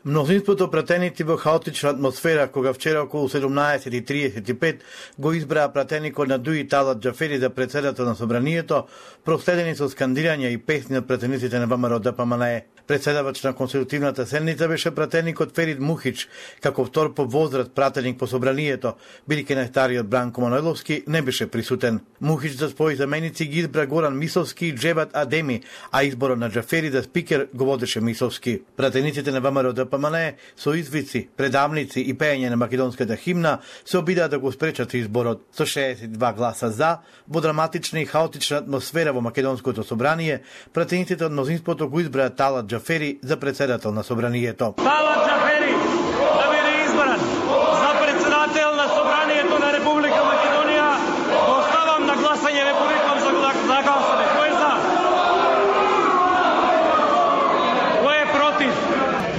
Мнозинството пратеници во хаотична атмосфера, кога вчера околу 17:35 го избраа пратеникот на Дуи Талат Џафери за председател на собранието, проследени со скандирања и песни од пратениците на ВМРО ДПМНЕ. Председавач на конститутивната седница беше пратеникот Ферид Мухич, како втор по возраст пратеник по собранието, бидејќи најстариот Бранко Манойловски не беше присутен. Мухич за своји заменици ги избра Горан Мисовски и Џебат Адеми, а изборот на Џафери за спикер го водеше Мисовски. Пратениците на ВМРО ДПМНЕ со извици, предавници и пеење на македонската химна се обидаа да го спречат изборот. Со 62 гласа за, во драматична и хаотична атмосфера во македонското собрание, пратениците од мнозинството го избраа Талат Џафери за председател на собранието. Талат Џафери да биде избран за председател на собранието на Република Македонија. Го оставам на гласање, ве повикам за гласање. Кој е за? Кој е против?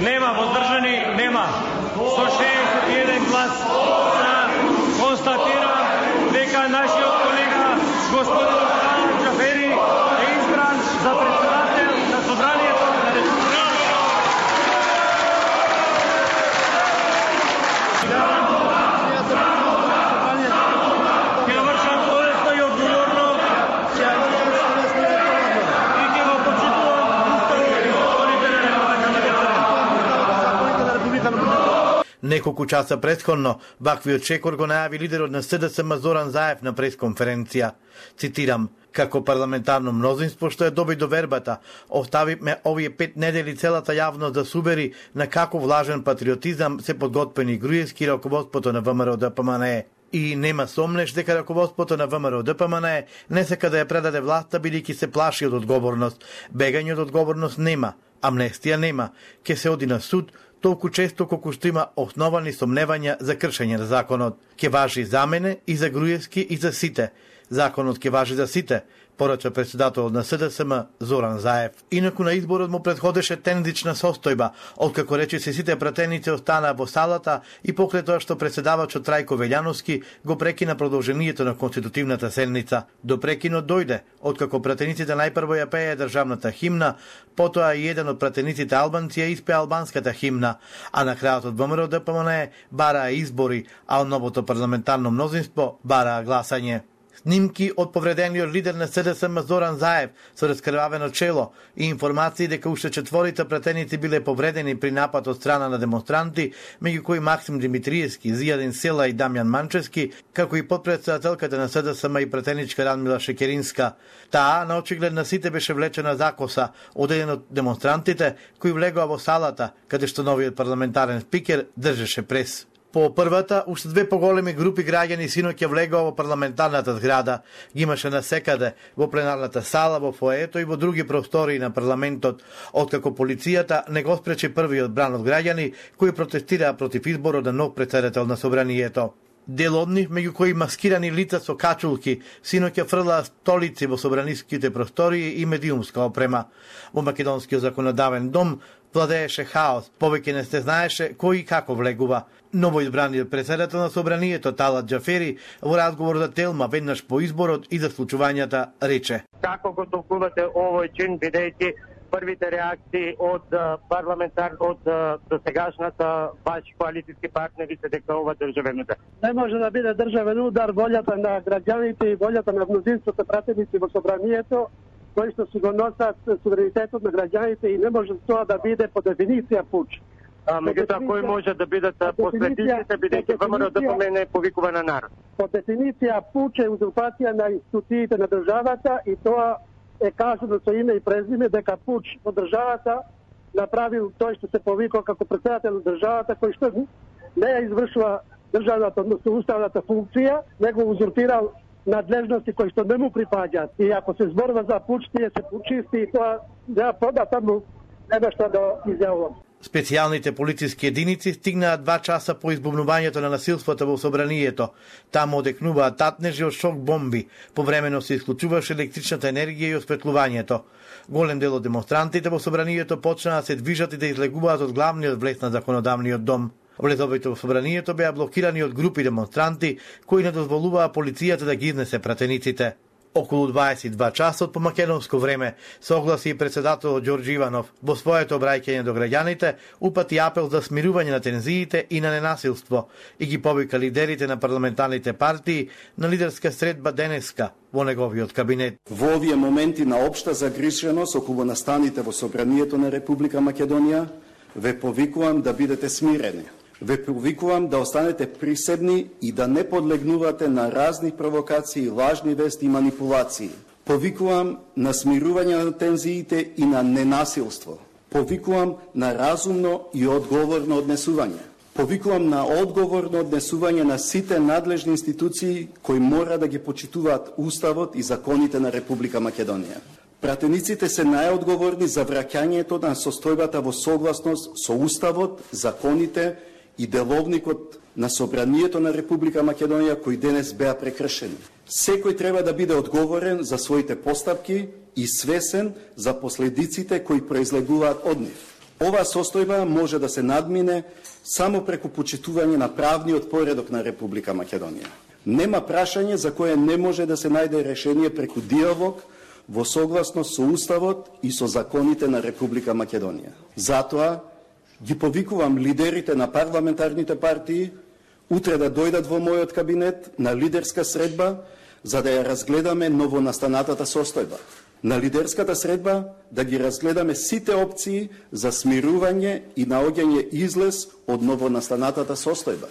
Нема, воздржани нема. Со 61 глас за констатирам дека нашиот колега господин Талат Џафери е избран за председател на собранието на Република. Неколку часа претходно, ваквиот чекор го најави лидерот на СДСМ Зоран Заев на пресконференција. Цитирам: како парламентарно мнозинство што е доби до вербата, оставивме овие 5 недели целата јавност да субери на каков влажен патриотизам се подготвени Груевски и раководството на ВМРО ДПМНЕ. И нема сомнеш дека раководството на ВМРО ДПМНЕ не сака да ја предаде власта бидејќи се плаши од одговорност. Бегање од одговорност нема, амнестија нема, ќе се оди на суд толку често колку што има основани сомневања за кршење на законот. Ке важи за мене и за Груевски и за сите. Законот ке важи за сите, порача председателот на СДСМ Зоран Заев. Инаку на изборот му претходеше тензична состојба, откако речиси сите пратеници останаа во салата и покрај тоа што председавачот Трајко Велјановски го прекина продолжението на конститутивната седница. До прекинот дојде, откако пратениците најпрво ја пееја државната химна, потоа и еден од пратениците албанци ја испеа албанската химна, а на крајот од ВМРО ДПМНЕ бараа избори, а од новото парламентарно мнозинство бараа гласање. Снимки од повредениот лидер на СДСМ Зоран Заев со раскрвавено чело и информации дека уште 4 пратеници биле повредени при напад од страна на демонстранти, меѓу кои Максим Димитриевски, Зијадин Села и Дамјан Манчевски, како и подпредседателката на СДСМ и пратеничка Радмила Шекеринска. Таа на очиглед на сите беше влечена за коса од еден од демонстрантите кои влегоа во салата, каде што новиот парламентарен спикер држеше прес. По првата, уште 2 поголеми групи граѓани синоќа влегоа во парламентарната зграда. Ги имаше насекаде во пленарната сала, во фоето и во други простории на парламентот, откако полицијата не го спречи првиот бран од граѓани кои протестираа против изборот на нов председател на собранието. Дел од нив, меѓу кои маскирани лица со качулки, синоќа фрлаа столици во собраниските простории и медиумска опрема. Во македонскиот законодавен дом владееше хаос, повеќе не се знаеше кој и како влегува. Новоизбраниот председател на собранието Талат Џафери во разговор за Телма веднаш по изборот и за случувањата рече: како го толкувате овој чин, бидејќи првите реакции од досегашната ваши коалицијски партнери се дека ова државен удар? Не може да биде државен удар волјата на граѓаните и волјата на мнозинството пратеници во собранието, кои што си го носат суверенитетот на граѓаните и не може тоа да биде по дефиниција пуч. Меѓутоа, кој може да бидат последиците, бидејќи ВМРО ДПМНЕ повикува на народ? По дефиниција пуч е узурпација на институциите на државата и тоа е кажано со име и презиме дека пуч во државата направил тој што се повикува како председател на државата, кој што не ја извршува државната, односно уставната функција, него узурпирал надлежности кои што не му припаѓаат. И ако се зборува за пуч, тие се пучисти и тоа нема податаму нема што да изјавувам. Специјалните полициски единици стигнаа 2 часа по избумнувањето на насилството во собранието. Таму одекнуваа татнежи од шок бомби. Повремено се исклучуваше електричната енергија и осветлувањето. Голем дел од демонстрантите во собранието почнаа да се движат и да излегуваат од главниот влез на законодавниот дом. Влезовите во собранието беа блокирани од групи демонстранти кои не дозволуваа полицијата да ги изнесе пратениците. Околу 22 часот по македонско време согласи и председателот Ѓорѓе Иванов во своето обраќање до граѓаните упати апел за смирување на тензиите и на ненасилство и ги повика лидерите на парламентарните партии на лидерска средба денеска во неговиот кабинет. Во овие моменти на општа загриженост околу настаните во Собранието на Република Македонија, ве повикувам да бидете смирени. Ве повикувам да останете присебни и да не подлегнувате на разни провокации, лажни вести и манипулации. Повикувам на смирување на тензиите и на ненасилство. Повикувам на разумно и одговорно однесување. Повикувам на одговорно однесување на сите надлежни институции кои мора да ги почитуваат Уставот и законите на Република Македонија. Пратениците се најодговорни за враќањето на состојбата во согласност со Уставот, законите и деловникот на Собранието на Република Македонија кои денес беа прекршени. Секој треба да биде одговорен за своите постапки и свесен за последиците кои произлегуваат од нив. Оваа состојба може да се надмине само преку почитување на правниот поредок на Република Македонија. Нема прашање за кое не може да се најде решение преку диалог во согласност со Уставот и со законите на Република Македонија. Затоа ги повикувам лидерите на парламентарните партии утре да дојдат во мојот кабинет на лидерска средба за да ја разгледаме новонастанатата состојба. На лидерската средба да ги разгледаме сите опции за смирување и наоѓање излез од новонастанатата состојба.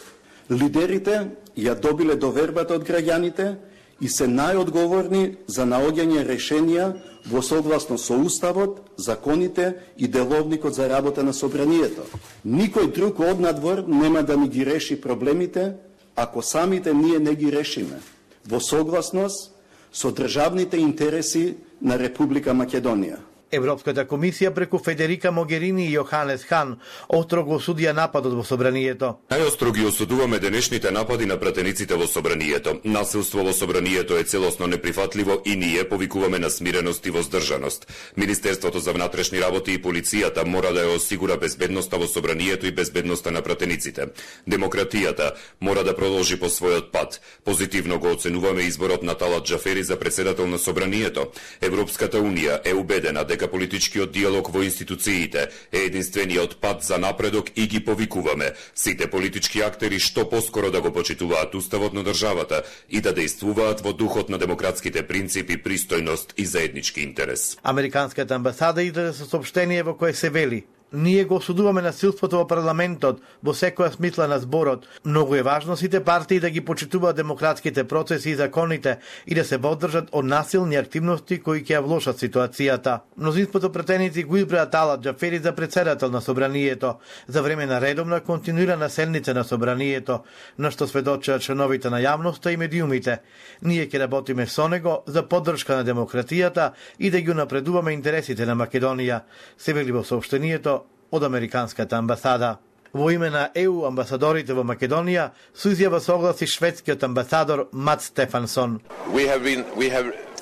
Лидерите ја добиле довербата од граѓаните и се најодговорни за наоѓање решенија во согласност со Уставот, законите и деловникот за работа на Собранието. Никој друг од надвор нема да ни ги реши проблемите, ако самите ние не ги решиме, во согласност со државните интереси на Република Македонија. Европската комисија преку Федерика Могерини и Јоханес Хан остро го осудија нападот во Собранието. Најостро ги осудуваме денешните напади на пратениците во Собранието. Насилство во Собранието е целосно неприфатливо и ние повикуваме на смиреност и воздржаност. Министерството за внатрешни работи и полицијата мора да ја осигура безбедноста во Собранието и безбедноста на пратениците. Демократијата мора да продолжи по својот пат. Позитивно го оценуваме изборот на Талат Џафери за председател на Собранието. Европската унија е убедена дека политичкиот диалог во институциите е единствениот пат за напредок и ги повикуваме сите политички актери што поскоро да го почитуваат Уставот на државата и да дејствуваат во духот на демократските принципи, пристојност и заеднички интерес. Американската амбасада излезе со соопштение во кое се вели: ние го осудуваме насилството во парламентот во секоја смисла на зборот. Многу е важно сите партии да ги почитуваат демократските процеси и законите и да се водржат од насилни активности кои ќе ја влошат ситуацијата. Мнозинството пратеници го избраа Талат Џафери за председател на Собранието за време на редовна континуирана седница на Собранието, на што сведочат членовите на јавноста и медиумите. Ние ќе работиме со него за поддршка на демократијата и да ги унапредуваме интересите на Македонија, се вели во соопштението од Американската амбасада. Во име на ЕУ амбасадорите во Македонија со изјава согласи шведскиот амбасадор Мат Стефансон.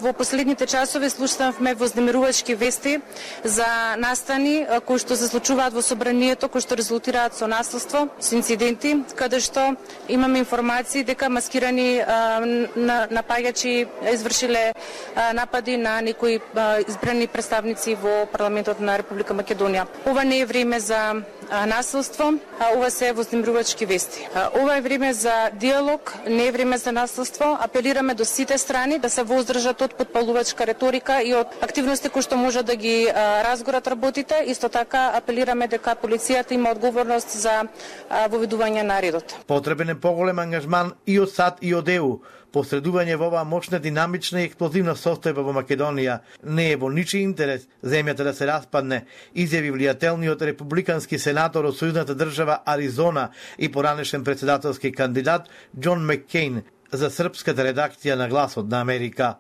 Во последните часови слушнавме вознемирувачки вести за настани кои што се случуваат во Собранието, кои што резултираат со насилство, со инциденти, каде што имаме информации дека маскирани напаѓачи извршиле напади на некои избрани представници во парламентот на Република Македонија. Ова не е време за насилство, ова се вознемирувачки вести. Ова е време за диалог, не е време за насилство. Апелираме до сите страни да се воздржат од подпалувачка реторика и од активности кои што може да ги разгорат работите. Исто така апелираме дека полицијата има одговорност за воведување на редот. Потребен е поголем ангажман и од САД и од ЕУ. Посредување во оваа мощна, динамична и експлозивна состојба во Македонија не е во ничи интерес земјата да се распадне, изјави влијателниот републикански сенатор од сојузната држава Аризона и поранешен председателски кандидат Џон Маккейн за српската редакција на Гласот на Америка.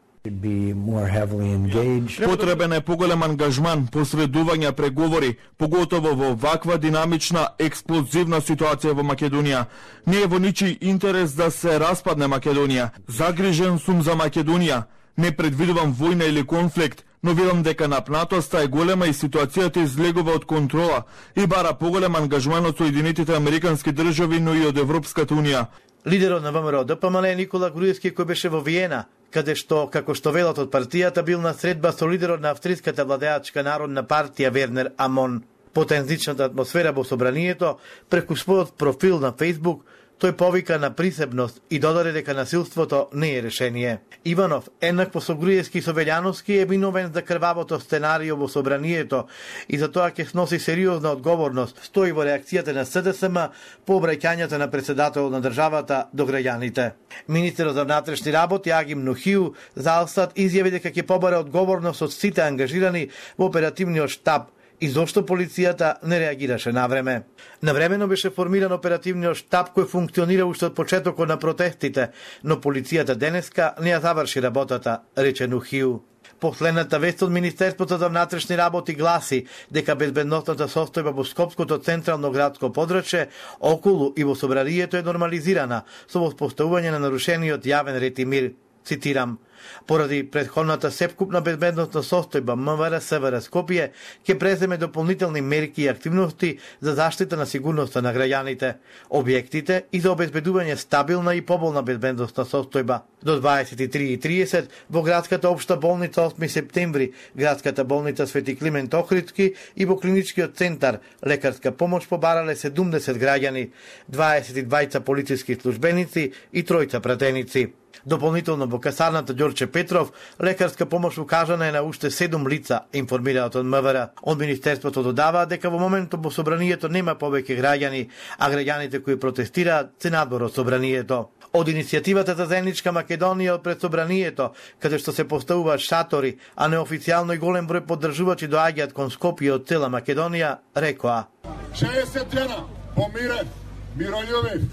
Потребен е поголем ангажман, посредување, преговори, поготово во ваква динамична, експлозивна ситуација во Македонија. Не е во ничи интерес да се распадне Македонија. Загрижен сум за Македонија. Не предвидувам војна или конфликт, но видам дека напнатоста е голема и ситуацијата излегува од контрола и бара поголем ангажман од Соединетите Американски држави, но и од Европската унија. Лидерот на ВМРО ДПМН Никола Груевски, кој беше во Виена, каде што, како што велат од партијата, бил на средба со лидерот на австриската владеачка народна партија Вернер Амон. По тензичната атмосфера во собранието, преку својот профил на Facebook, тој повика на присебност и додаде дека насилството не е решение. Иванов, еднакво со Груевски и со Велјановски, е виновен за крвавото сценарио во собранието и за тоа ќе сноси сериозна одговорност, стои во реакцијата на СДСМ по обраќањето на председателот на државата до граѓаните. Министерот за внатрешни работи Агим Нухиу за Алстат изјави дека ќе побара одговорност од сите ангажирани во оперативниот штаб и зошто полицијата не реагираше навреме. Навремено беше формиран оперативниот штаб кој функционира уште од почетокот на протестите, но полицијата денеска не ја заврши работата, рече Нухиу. Последната вест од Министерството за внатрешни работи гласи дека безбедносната состојба во Скопското централно градско подрачје, околу и во собранието е нормализирана со воспоставување на нарушениот јавен ред и мир. Цитирам: поради претходната сепкупна безбедносна состојба, МВР СВР Скопје ќе преземе дополнителни мерки и активности за заштита на сигурноста на граѓаните, објектите и за обезбедување стабилна и поболна безбедносна состојба. До 23:30 во градската општа болница 8 септември, градската болница Свети Климент Охридски и во клиничкиот центар лекарска помош побарале 70 граѓани, 22 полициски службеници и 3 пратеници. Дополнително во касарната Ѓорче Петров, лекарска помош укажана е на уште 7 лица, информираат од МВР. Од Министерството додава дека во моментот во собранието нема повеќе граѓани, а граѓаните кои протестираат се надвор од собранието. Од иницијативата за заедничка Македонија од пред собранието, каде што се поставуваат шатори, а неофицијално и голем број поддржувачи доаѓаат кон Скопје од цела Македонија, рекоа: 60 дена помирен, мирољубив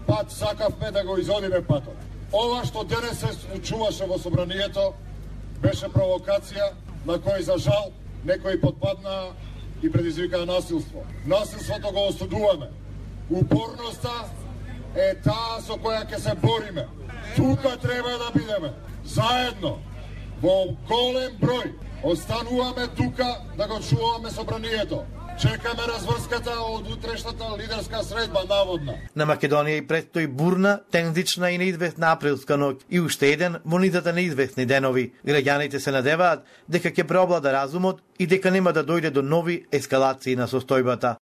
пат сакавме да го изодиме патот. Ова што денес се случуваше во собранието беше провокација на кој за жал некои подпадна и предизвикаа насилство. Насилството го осудуваме. Упорноста е таа со која ќе се бориме. Тука треба да бидеме заедно во голем број. Остануваме тука да го чуваме собранието. Чекаме разврската од утрешната лидерска средба наводна. На Македонија и предстои бурна, тензична и неизвестна априлска ноќ и уште еден во низата неизвестни денови. Граѓаните се надеваат дека ќе преовлада разумот и дека нема да дојде до нови ескалации на состојбата.